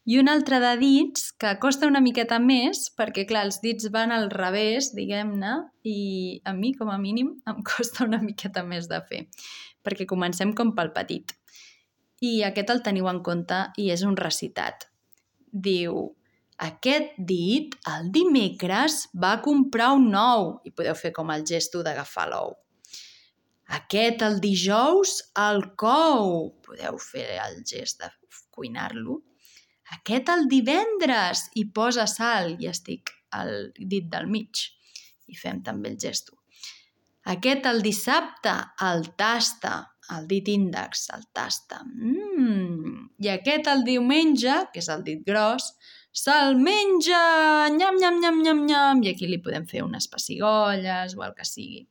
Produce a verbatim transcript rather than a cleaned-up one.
I un altre de dits que costa una miqueta més perquè, clar, els dits van al revés, diguem-ne, i a mi, com a mínim, em costa una miqueta més de fer, perquè comencem com pel petit. I aquest el teniu en compte i és un recitat. Diu, aquest dit, el dimecres, va comprar un ou. I podeu fer com el gesto d'agafar l'ou. Aquest, el dijous, el cou. Podeu fer el gest de cuinar-lo. Aquest, el divendres, hi posa sal i estic al dit del mig. I fem també el gesto. Aquest, el dissabte, el tasta. El dit índex, el tasta. Mm. I aquest, el diumenge, que és el dit gros, se'l menja! Nyam, nyam, nyam, nyam, nyam! I aquí li podem fer unes pessigolles o el que sigui.